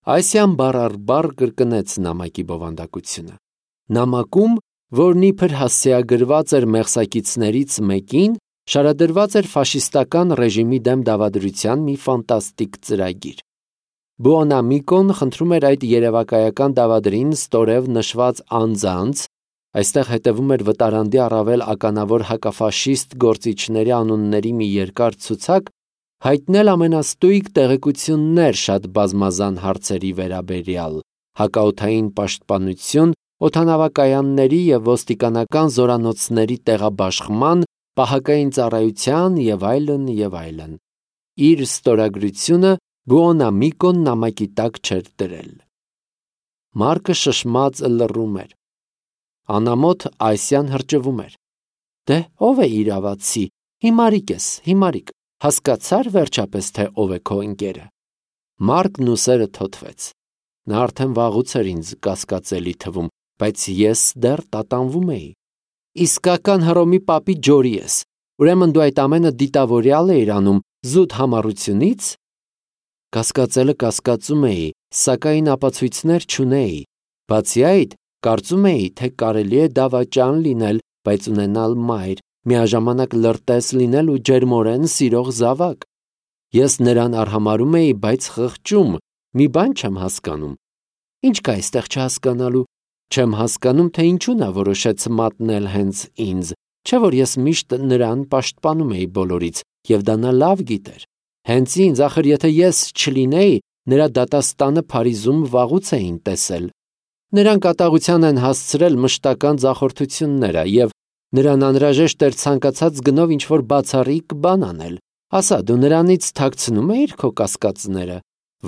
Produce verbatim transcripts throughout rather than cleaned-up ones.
Այսյան բառ առ բառ կրկնեց նամակի բովանդակությունը։ Նամակում, որն իբր հասցեագրված էր մեղսակիցներից մեկին, շարադրված էր ֆաշիստական ռեժիմի դեմ դավադրության մի ֆանտաստիկ ծրագիր։ Բուոնամիկոն խնդրում էր այդ երևակայական դավադրին ստորև նշված անձանց, այստեղ հետևում էր վտարանդի առավել ականավոր հակաֆաշիստ գործիչների անունների մի երկար ցուցակ, հայտնել ամենաստույգ տեղեկություններ շատ բազմազան հարցերի վերաբերյալ, հակաօդային պաշտպանություն, օդանավակայանների և ոստիկանական զորանոցների տեղաբաշխման, պահակային ծառայության և այլն և այլն։ Իր ստորագրությունը Բուոնամիկոն նամակի տակ չէր դրել։ Մարկը շշմած լռում էր։ Անամոթ Այսյան հրճվում էր։ Դե ով է իրավացի, հիմարիկ ես, հիմարիկ, հասկացար վերջապես, թե ով է քո ընկերը։ Մարկն ուսերը թոթվեց։ Նա արդեն վաղուց էր ինձ կասկածելի թվում, բայց ես դեռ տատանվում էի։ Իսկական Հռոմի պապի ջորի ես, ուրեմն դու այդ ամենը դիտավորյալ էիր անում զուտ համառությունից։ Կասկածելը կասկածում էի, սակայն ապացույցներ չունեի։ Բացի այդ, կարծում էի, թե կարելի է դավաճան լինել, բայց ունենալ մայր, միաժամանակ լրտես լինել ու ջերմորեն սիրող զավակ։ Ես նրան արհամարհում էի, բայց խղճում, մի բան չեմ հասկանում։ Ինչ կա այստեղ չհասկանալու։ Չեմ հասկանում, թե ինչու նա որոշեց մատնել հենց ինձ, չէ՞ որ ես միշտ նրան պաշտպանում էի բոլորից, և դա նա լավ գիտեր։ Հենց ինձ, ախր եթե ես չլինեի, նրա դատաստանը Փարիզում վաղուց էին տեսել։ Նրան կատաղության են հասցրել մշտական ձախորդությունները, և նրան անհրաժեշտ էր ցանկացած գնով ինչ-որ բացառիկ բան անել։ Ասա, դու նրանից թաքցնում էիր քո կասկածները։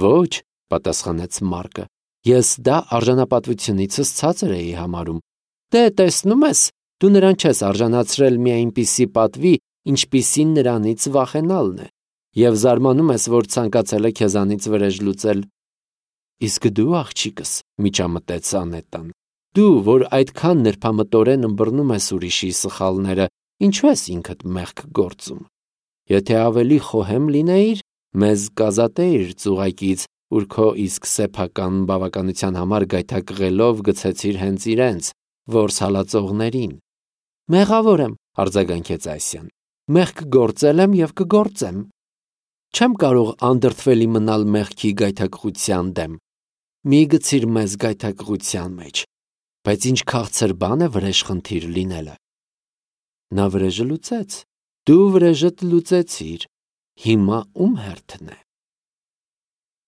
Ոչ, պատասխանեց Մարկը, ես դա արժանապատվությունիցս ցածր էի համարում։ Դե տեսնում ես, դու նրան չես արժանացրել մի այնպիսի պատվի, ինչպիսին նրանից վախենալն է, և զարմանում ես, որ ցանկացել է քեզանից վրեժ լուծել։ Իսկ դու, աղջիկս, միջամտեց Անետան, դու, որ այդքան նրբամտորեն ըմբռնում ես ուրիշի սխալները, ինչու ես ինքդ մեղք գործում։ Եթե ավելի խոհեմ լինեիր, մեզ կազատեիր ծուղակից, ուր քո իսկ սեփական բավականության համար գայթակղելով գցեցիր հենց իրենց, որս հալածողներին։ Մեղավոր եմ, արձագանքեց Այսյան, մեղք գործել եմ և կգործեմ։ Չեմ կարող անդրդվելի մնալ մեղքի գայթակղության դեմ։ Մի գցիր մեզ գայթակղության մեջ, բայց ինչ քաղցր բան է վրեժխնդիր լինելը։ Նա վրեժը լուծեց, դու վրեժդ լուծեցիր, հիմա ում հերթն է։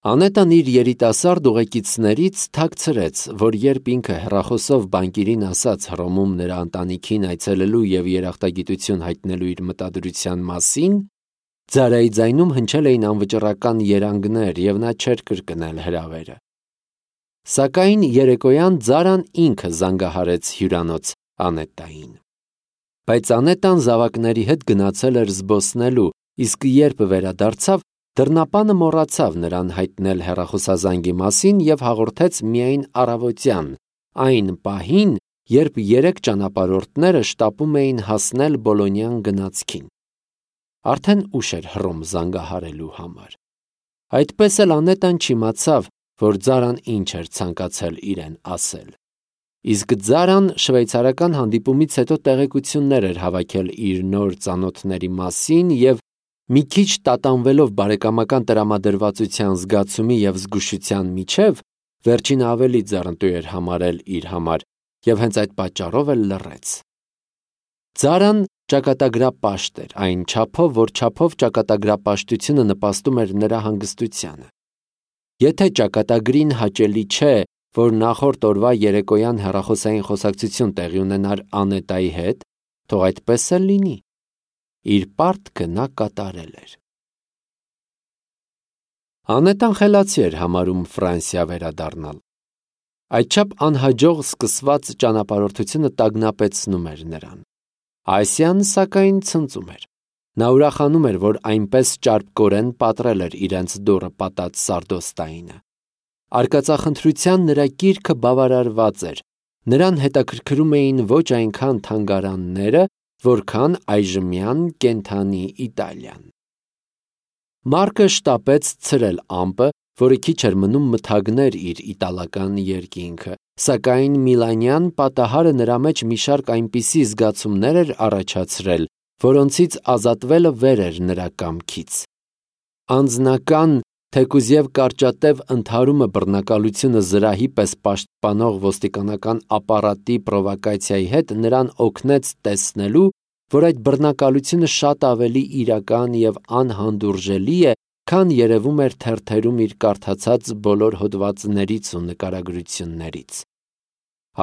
Անետան իր երիտասարդ ուղեկիցներից թաքցրեց, որ երբ ինքը հեռախոսով բանկիրին ասաց Հռոմում նրա ընտանիքին այցելելու և երախտագիտություն հայտնելու իր մտադրության մասին, ձարայի ձայնում հնչել էին անվճռական երանգներ, և նա չէր կրկնել հրավերը։ Սակայն երեկոյան Ձարան ինքը զանգահարեց հյուրանոց Անետային։ Բայց Անետան զավակների հետ գնացել էր զբոսնելու, իսկ երբ վերադարձավ, դռնապանը մոռացավ նրան հայտնել հեռախոսազանգի մասին և հաղորդեց միայն առավոտյան, այն պահին, երբ երեք ճանապարհորդները շտապում էին հասնել Բոլոնյան գնացքին։ Արդեն ուշ էր Հռոմ զանգահարելու համար։ Այդպես էլ Անետան չիմացավ, որ Ձարան ինչ էր ցանկացել իրեն ասել։ Իսկ Ձարան շվեյցարական հանդիպումից հետո տեղեկություններ էր հավաքել իր նոր ծանոթների մասին և մի քիչ տատանվելով բարեկամական տրամադրվածության զգացումի և զգուշության միջև, վերջինը ավելի ձեռնտու էր համարել իր համար և հենց այդ պատճառով էլ լռեց։ Ձարան ճակատագրապաշտ էր, այն չափով, որ չափով ճակատագրապաշտությունը նպաստում էր նրա հանգստությանը։ Եթե ճակատագրին հաճելի չէ, որ նախորդ օրվա երեկոյան հեռախոսային խոսակցություն տեղի ունենար Անետայի հետ, թող այդպես էլ լինի։ Իր պարտքը նա կատարել էր։ Անետան խելացի էր համարում Ֆրանսիա վերադառնալ։ Այդչափ անհաջող սկսված ճանապարհորդությունը տագնապեցնում էր նրան։ Այսյան, սակայն, ցնծում էր։ Նա ուրախանում էր, որ այնպես ճարպկորեն պատռել էր իրենց դուռը պատած Սարդոստայինը։ Արկածախնդրության նրա կիրքը բավարարված էր։ Նրան հետաքրքրում էին ոչ այնքան թանգարանները, որքան այժմյան կենդանի Իտալիան։ Մարկը շտապեց ցրել ամպը, որը քիչ էր մնում մթագներ իր իտալական երկինքը, սակայն Միլանյան պատահարը նրա մեջ մի շարք այնպիսի զգացումներ էր առաջացրել, որոնցից ազատվելը վեր էր նրա կամքից։ Անձնական, թեկուզ և կարճատև ընդհարումը բռնակալությունը զրահի պես պաշտպանող ոստիկանական ապարատի պրովոկացիայի հետ նրան օգնեց տեսնելու, որ այդ բռնակալությունը շատ ավելի իրական և անհանդուրժելի է, քան երևում էր թերթերում իր կարդացած բոլոր հոդվածներից ու նկարագրություններից։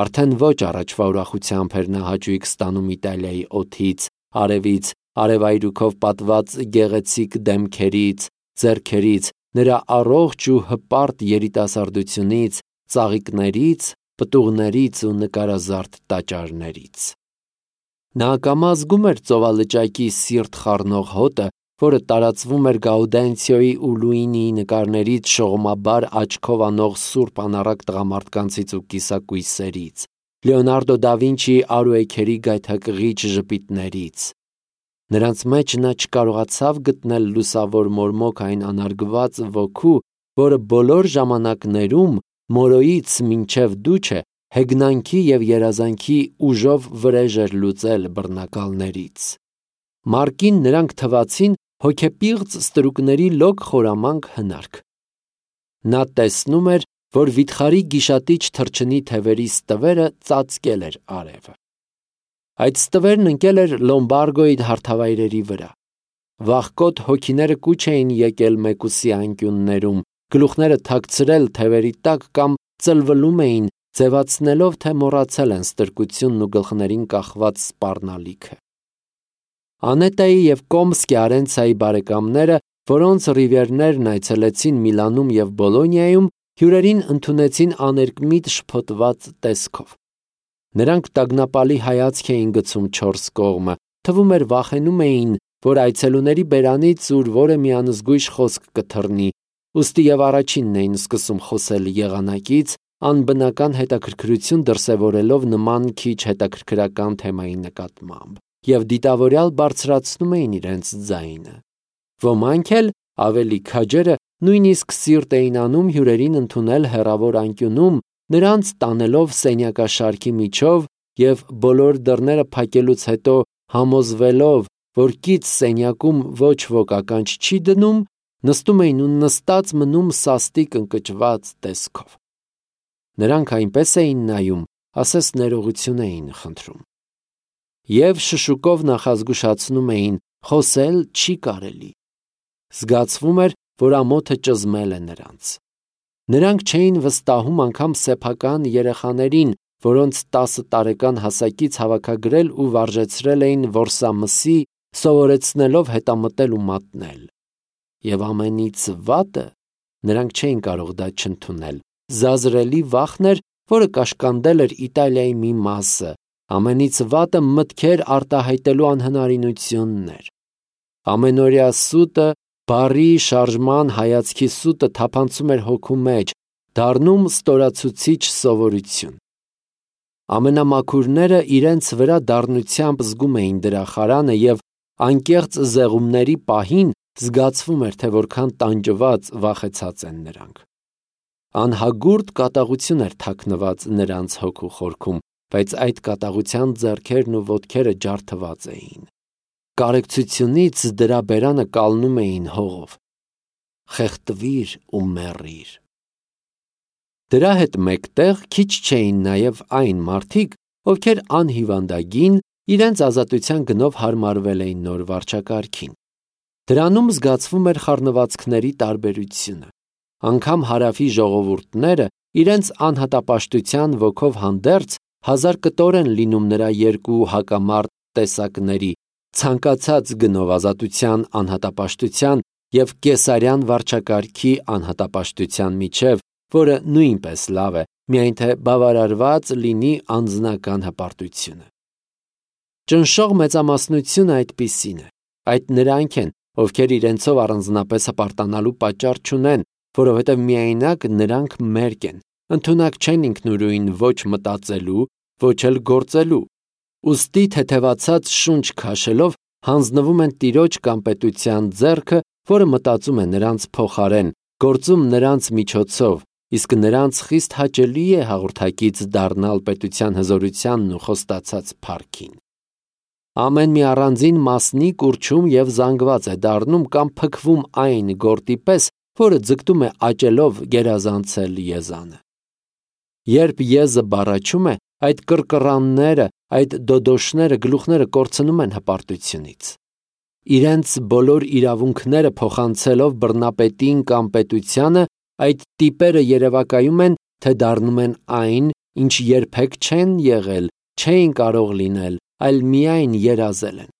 Արդեն ոչ առաջվա ուրախությամբ էր նա հաճույք ստանում Իտալիայի օդից, արևից, արևայրուքով պատված գեղեցիկ դեմքերից, ձեռքերից, նրա առողջ ու հպարտ երիտասարդությունից, ծաղիկներից, պտուղներից ու նկարազարդ տաճարներից։ Նա ակամա զգում էր ծովալճակի սիրտ խառնող հոտը, որը տարածվում էր Գաուդենցիոյի ու Լուինիի նկարներից շողմաբար աչքով անող սուրբ անառակ տղամարդկանցից ու կիսակույսերից, Լեոնարդո դա Վինչիի արուեքերի գայթակղիչ ժպիտներից։ Նրանց մեջ նա չկարողացավ գտնել լուսավոր մորմոք այն անարգված ոգու, որը բոլոր ժամանակներում Մորոյից մինչև Դուչե հեգնանքի և երազանքի ուժով վրեժ էր լուծել բռնակալներից։ Մարկին նրանք թվացին հոգեպիղծ ստրուկների լոկ խորամանկ հնարք։ Նա տեսնում էր, որ վիթխարի գիշատիչ թռչնի թևերի ստվերը ծածկել էր արևը։ Այդ ստվերն ընկել էր Լոմբարգոյի հարթավայրերի վրա։ Վախկոտ հոգիները կուչ էին եկել մեկուսի անկյուններում, գլուխները թաքցրել թևերի տակ կամ ծլվլում էին, ձևացնելով, թե մոռացել են ստրկությունն ու գլխներին կախված սպառնալիքը։ Անետայի և Կոմսկի Արենցայի բարեկամները, որոնց ռիվիերներն այցելեցին Միլանում և Բոլոնիայում, հյուրերին ընդունեցին աներկմիտ շփոթված տեսքով։ Նրանք տագնապալի հայացք էին գցում չորս կողմը, թվում էր վախենում էին, որ այցելուների բերանից ուր որը մի անզգույշ խոսք կթռնի, ուստի և առաջինն էին սկսում խոսել եղանակից, անբնական հետաքրքրություն դրսևորելով նման քիչ հետաքրքրական թեմայի նկատմամբ, և դիտավորյալ բարձրացնում էին իրենց ձայնը։ Ոմանք էլ, ավելի քաջերը, նույնիսկ սիրտ էին անում հյուրերին ընդունել հեռավոր անկյունում, նրանց տանելով սենյակաշարքի միջով և բոլոր դռները փակելուց հետո համոզվելով, որ կից սենյակում ոչ ոք ականջ չի դնում, նստում էին ու նստած մնում սաստիկ ընկճված տեսքով։ Նրանք այնպես էին նայում, ասես ներողություն էին խնդրում։ Եվ շշուկով նախազգուշացնում էին. խոսել չի կարելի։ Զգացվում էր, որ ամոթը ճզմել է նրանց։ Նրանք չէին վստահում անգամ սեփական երեխաներին, որոնց տասը տարեկան հասակից հավաքագրել ու վարժեցրել էին որսամսի, սովորեցնելով հետամտել ու մատնել։ Եվ ամենից վատը, նրանք չէին կարող դա չընդունել, զազրելի վախն էր, որը կաշկանդել էր Իտալիայի մի մասը, ամենից վատը մտքեր արտահայտելու անհնարինությունն էր։ Ամենօրյա սուտը, բարի շարժման հայացքի սուտը թափանցում էր հոգու մեջ, դառնում ստորացուցիչ սովորություն։ Ամենամաքուրները իրենց վրա դառնությամբ զգում էին դրա խարանը և անկեղծ զեղումների պահին զգացվում էր, թե որքան տանջված, վախեցած են նրանք։ Անհագուրդ կատաղություն էր թաքնված նրանց հոգու խորքում, բայց այդ կատաղության ձեռքերն ու ոտքերը ջարդված էին։ Կարեկցությունից դրա բերանը կալնում էին հողով։ Խեղդվիր ու մեռիր։ Դրա հետ մեկտեղ քիչ չէին նաև այն մարդիկ, ովքեր անհիվանդագին իրենց ազատության գնով հարմարվել էին նոր վարչակարգին։ Դրանում զգացվում էր խառնվածքների տարբերությունը։ Անգամ հարավի ժողովուրդները իրենց անհատապաշտության ոգով հանդերձ հազար կտոր են լինում նրա երկու հակամարտ տեսակների՝ ցանկացած գնով ազատության անհատապաշտության և կեսարյան վարչակարգի անհատապաշտության միջև, որը նույնպես լավ է, միայն թե բավարարված լինի անձնական հպարտությունը։ Ճնշող մեծամասնությունը այդպիսին է։ Այդ նրանք են, ովքեր իրենցով առանձնապես հպարտանալու պատճառ չունեն, որովհետև միայնակ նրանք մերկ են, ընդունակ չեն ինքնուրույն ոչ մտածելու, ոչ էլ գործելու։ Ուստի թեթևացած շունչ քաշելով հանձնվում են տիրոջ կամ պետության ձեռքը, որը մտածում է նրանց փոխարեն, գործում նրանց միջոցով, իսկ նրանց խիստ հաճելի է հաղորդակից դառնալ պետության հզորությանն ու խոստացած փառքին։ Ամեն մի առանձին մասնիկ ուռչում և զանգված է դառնում կամ փքվում այն գորտի պես, որը ձգտում է աճելով գերազանցել եզանը։ Երբ եզը բառաչում է, այդ կռկռանները, այդ դոդոշները, գլուխները կորցնում են հպարտությունից։ Իրենց բոլոր իրավունքները փոխանցելով բռնապետին կամ պետությանը, այդ տիպերը երևակայում են, թե դառնում են այն, ինչ երբեք չեն եղել, չէին կարող լինել, այլ միայն երազել են։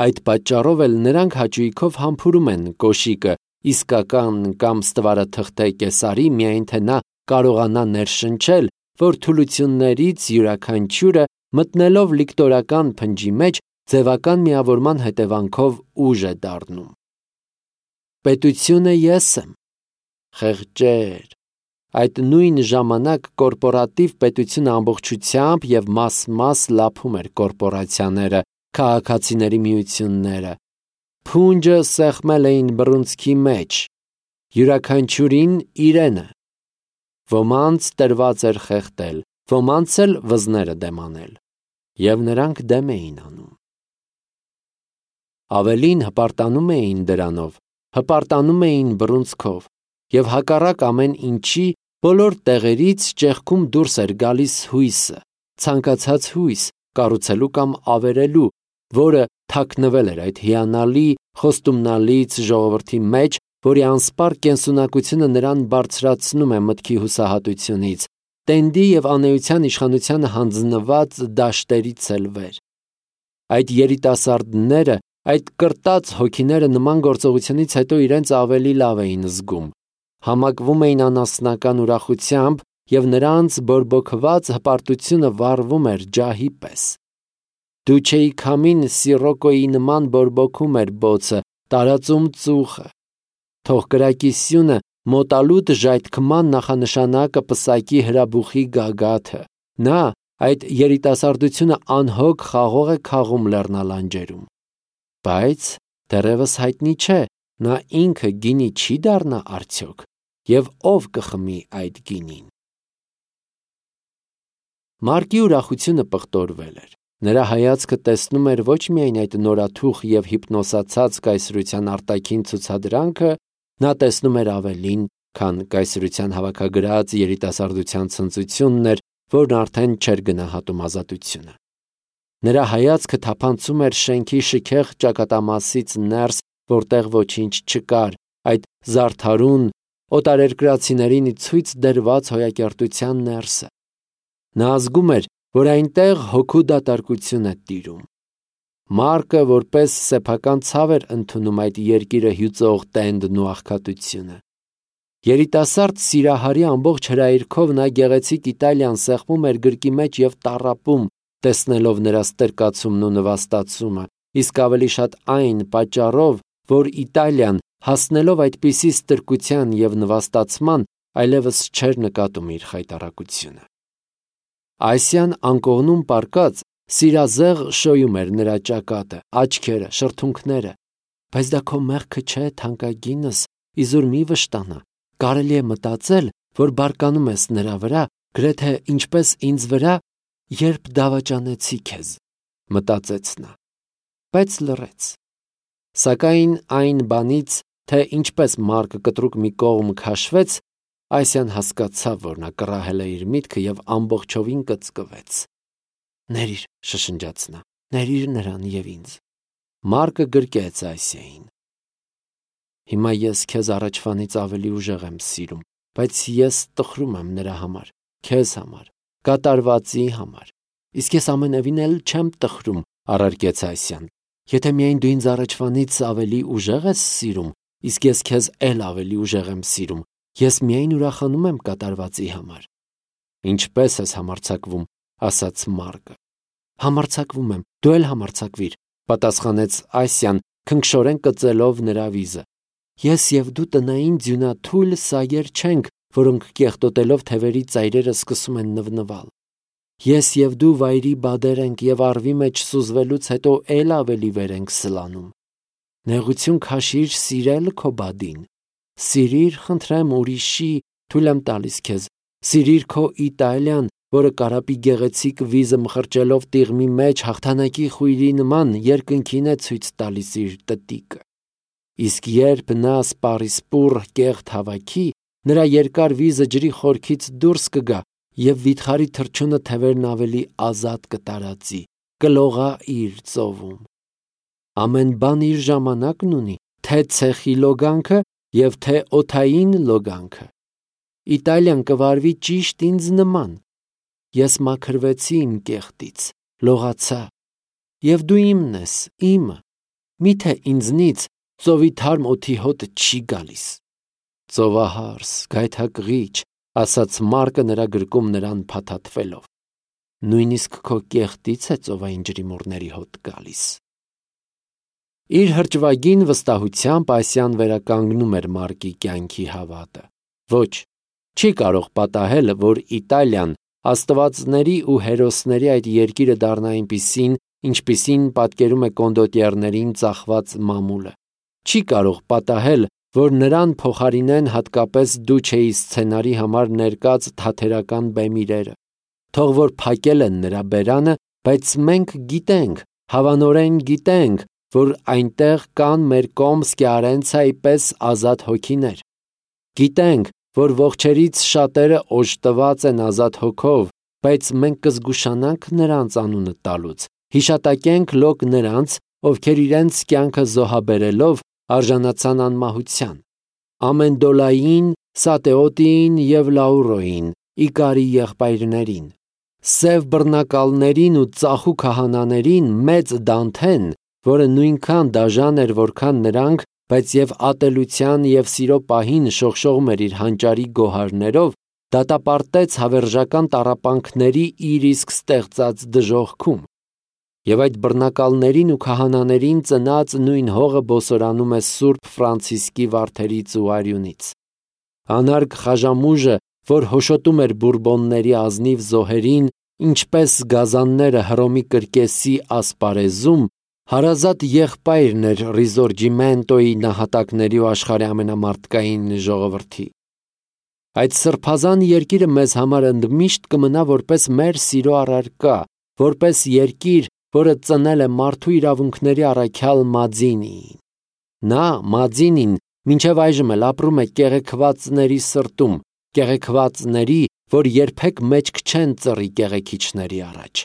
Այդ պատճառով էլ նրանք հաճույքով համբուրում են կոշիկը, իսկական կամ ստվարաթղթե կեսարի, միայն թե նա կարողանա ներշնչել, որ թուլություններից յուրաքանչյուրը մտնելով լիկտորական փնջի մեջ ձևական միավորման հետևանքով ուժ է դառնում։ Պետությունը ես եմ։ Խեղճեր։ Այդ նույն ժամանակ կորպորատիվ պետությունը ամբողջությամբ և մաս-մաս լափում էր կորպորացիաները, քաղաքացիների միությունները։ Փունջը սեղմել էին բռունցքի մեջ, յուրաքանչյուրին իրենը։ Ոմանց տրված էր խեղդել, ոմանց էլ վզները դեմ անել, և նրանք դեմ էին անում։ Ավելին հպարտանում էին դրանով, հպարտանում էին բռունցքով, և հակառակ ամեն ինչի բոլոր տեղերից ճեղքում դուրս էր գալիս հույսը, ցանկացած հույս կառուցելու կամ ավերելու, որը թաքնվել էր այդ հիանալի խոստումնալից ժողովրդի մեջ, որի անսպառ կենսունակությունը նրան բարձրացնում է մտքի հուսահատությունից, տենդի և անեության իշխանությանը հանձնված դաշտերից էլ վեր։ Այդ երիտասարդները, այդ կրտած հոգիները նման գործողությունից հետո իրենց ավելի լավ էին զգում, համակվում էին անասնական ուրախությամբ և նրանց բորբոքված հպարտությունը վառվում էր ջահի պես։ Դուչեի քամին սիրոկոյի նման բորբոքում էր բոցը, տարածում ծուխը։ Թող կրակի սյունը մոտալուտ ժայթքման նախանշանակը պսակի հրաբուխի գագաթը։ Նա, այդ երիտասարդությունը անհոգ խաղող է քաղում լեռնալանջերում։ Բայց դեռևս հայտնի չէ, նա ինքը գինի չի դառնա արդյոք, և ով կխմի այդ գինին։ Մարկի ուրախությունը պղտորվել էր։ Նրա հայացքը տեսնում էր ոչ միայն այդ նորաթուխ և հիպնոսացած կայսրության արտաքին ցուցադրանքը, նա տեսնում էր ավելին, քան կայսրության հավաքագրած երիտասարդության ցնծությունն էր, որն արդեն չէր գնահատում ազատությունը։ Նրա հայացքը թափանցում էր շենքի շքեղ ճակատամասից ներս, որտեղ ոչինչ չկար, այդ զարդարուն, օտարերկրացիներին ցույց դրված հոյակերտության ներսը։ Նա զգում էր, որ այնտեղ հոգու դատարկություն է տիրում։ Մարկը որպես սեփական ցավ էր ընդունում այդ երկիրը հյուծող տենդն ու աղքատությունը։ Երիտասարդ սիրահարի ամբողջ հրայրքով նա գեղեցիկ Իտալիան սեղմում էր գրկի մեջ և տառապում, տեսնելով նրա ստրկացումն ու նվաստացումը, իսկ ավելի շատ այն պատճառով, որ Իտալիան, հասնելով այդպիսի ստրկության և նվաստացման, այլևս չէր նկատում իր խայտառակությունը։ Ասիան անկողնում պառկած սիրազեղ շոյում էր նրա ճակատը, աչքերը, շրթունքները։ Բայց դա քո մեղքը չէ, թանկագինս, իզուր մի վշտանա, կարելի է մտածել, որ բարկանում ես նրա վրա, գրեթե ինչպես ինձ վրա, երբ դավաճանեցի քեզ, մտածեց նա, բայց լռեց։ Սակայն այն բանից, թե ինչպես Մարկը կտրուկ մի կողմ քաշվեց, Ասիան հասկացավ, որ նա կռահել է իր միտքը և ամբողջովին կծկվեց։ Ներիր, շշնջաց նա, ներիր նրան և ինձ։ Մարկը գրկեց Ասիային։ Հիմա ես քեզ առաջվանից ավելի ուժեղ եմ սիրում, բայց ես տխրում եմ նրա համար, քեզ համար, կատարվածի համար։ Իսկ ես ամենևին էլ չեմ տխրում, առարկեց Ասիան։ Եթե միայն դու ինձ առաջվանից ավելի ուժեղ ես սիրում, իսկ ես քեզ էլ ավելի ուժեղ եմ սիրում, ես միայն ուրախանում եմ կատարվածի համար։ Ինչպես ես համարձակվում, ասաց Մարկը։ Համարձակվում եմ, դու էլ համարձակվիր, պատասխանեց Ասիան, քնքշորեն կծելով նրա վիզը։ Ես և դու տնային ձյունաթույլ սայեր չենք, որոնք կեղտոտելով թևերի ծայրերը սկսում են նվնվալ։ Ես և դու վայրի բադեր ենք և առվի մեջ սուզվելուց հետո էլ ավելի վեր ենք սլանում։ Նեղություն քաշիր սիրել քո բադին։ Սիրիր, խնդրեմ, ուրիշի, թույլ եմ տալիս քեզ, սիրիր քո Իտալիան, որը կարապի գեղեցիկ վիզը մխրճելով տիղմի մեջ հաղթանակի խույրի նման երկնքին է ցույց տալիս իր տտիկը։ Իսկ երբ նա սպառիսպուռ կեղտ հավաքի, նրա երկար վիզը ջրի խորքից դուրս կգա և վիթխարի թռչունը թևերն ավելի ազատ կտարածի, կլողա իր ծովում։ Ամեն բան իր ժամանակն ունի, թե ցեխի լոգանքը և թե օդային լոգանքը։ Իտալիան կվարվի ճիշտ ինձ նման։ Ես մաքրվեցի իմ կեղտից, լողացա, և դու իմն ես, իմը, միթե ինձնից ծովի թարմ օդի հոտը չի գալիս։ Ծովահարս, գայթակղիչ, ասաց Մարկը նրա գրկում նրան փաթաթվելով, նույնիսկ քո կեղտից է ծովային ջրիմուռների հոտ գալիս։ Իր հրճվագին վստահությամբ Ասիան վերականգնում էր Մարկի կյանքի հավատը։ Ոչ, չի կարող պատահել, որ Իտալիան աստվածների ու հերոսների այդ երկիրը դառնա այնպիսին, ինչպիսին պատկերում է կոնդոտիերներին ծախված մամուլը։ Չի կարող պատահել, որ նրան փոխարինեն հատկապես Դուչեի սցենարի համար ներկած թատերական բեմիրերը։ Թող որ փակել են նրա բերանը, բայց մենք գիտենք, հավանորեն գիտենք, որ այնտեղ կան մեր Կոմսկի-Արենցայի պես ազատ հոգիներ։ Գիտենք, որ ողջերից շատերը օժտված են ազատ հոգով, բայց մենք կզգուշանանք նրանց անունը տալուց, հիշատակենք լոկ նրանց, ովքեր իրենց կյանքը զոհաբերելով արժանացան անմահության։ Ամենդոլային, Սատեոտիին և Լաուրոյին, Իկարի եղբայրներին, սև բռնակալներին ու ծախու քահանաներին, մեծ Դանթեն, որը նույնքան դաժան էր, որքան նրանք, բայց և ատելության և սիրո պահին շողշողում էր իր հանճարի գոհարներով, դատապարտեց հավերժական տառապանքների իր իսկ ստեղծած դժոխքում։ Եվ այդ բռնակալներին ու քահանաներին ծնած նույն հողը բոսորանում է Սուրբ Ֆրանցիսկի վարդերից ու արյունից։ Անարգ խաժամուժը, որ հոշոտում էր բուրբոնների ազնիվ զոհերին, ինչպես գազանները Հռոմի կրկեսի ասպարեզում, հարազատ եղբայրն էր Ռիզորջիմենտոյի նահատակների ու աշխարհի ամենամարդկային ժողովրդի։ Այդ սրբազան երկիրը մեզ համար ընդմիշտ կմնա որպես մեր սիրո առարկա, որպես երկիր, որը ծնել է մարդու իրավունքների առաքյալ Մաձինիին։ Նա, Մաձինին, մինչև այժմ էլ ապրում է կեղեքվածների սրտում, կեղեքվածների, որ երբեք մեջք չեն ծռի կեղեքիչների առաջ։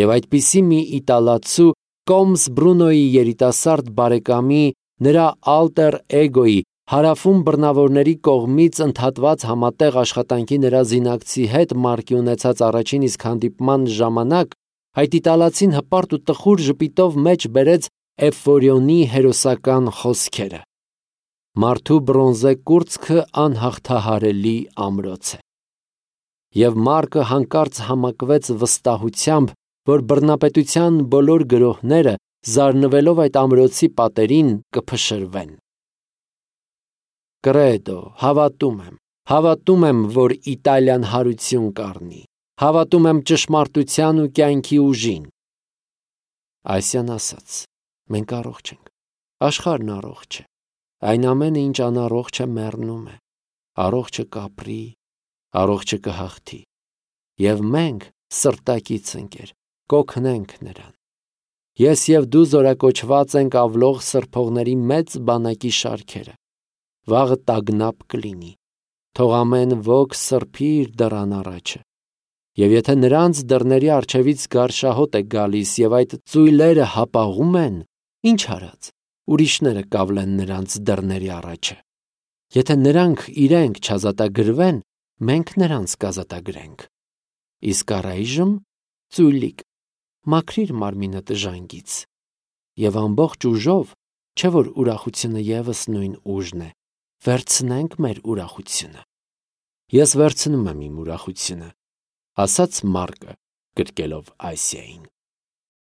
Եվ այդպիսի մի իտալացու Կոմս Բրունոյի երիտասարդ բարեկամի, նրա ալտեր էգոյի, հարավում բռնավորների կողմից ընդհատված համատեղ աշխատանքի նրա զինակցի հետ Մարկի ունեցած առաջին իսկ հանդիպման ժամանակ այդ իտալացին հպարտ ու տխուր ժպիտով մեջ բերեց Էֆորիոնի հերոսական խոսքերը. «Մարդու բրոնզե կուրծքը անհաղթահարելի ամրոց է»։ Եվ Մարկը հանկարծ համակվեց վստահությամբ, որ բռնապետության բոլոր գրոհները, զարնվելով այդ ամրոցի պատերին, կփշրվեն։ Կրեդո, հավատում եմ, հավատում եմ, որ Իտալիան հարություն կառնի, հավատում եմ ճշմարտության ու կյանքի ուժին։ Ասիան ասաց. մենք առողջ ենք, աշխարհն առողջ է, այն ամենը, ինչ անառողջ է, մեռնում է, առողջը կապրի, առողջը կհաղթի, և մենք, սրտակից ընկեր, կօգնենք նրան։ Ես և դու զորակոչված ենք ավլող սրբողների մեծ բանակի շարքերը։ Վաղը տագնապ կլինի, թող ամեն ոք սրբի իր դռան առաջը։ Եվ եթե նրանց դռների առջևից գարշահոտ է գալիս և այդ ծույլերը հապաղում են, ինչ արած, ուրիշները կավլեն նրանց դռների առաջը։ Եթե նրանք իրենք չազատագրվեն, մենք նրանց կազատագրենք։ Իսկ առայժմ, ծույլիկ, մաքրիր մարմինդ ժանգից, և ամբողջ ուժով, չէ որ ուրախությունը ևս նույն ուժն է, վերցնենք մեր ուրախությունը։ Ես վերցնում եմ իմ ուրախությունը, ասաց Մարկը, գրկելով Ասիային։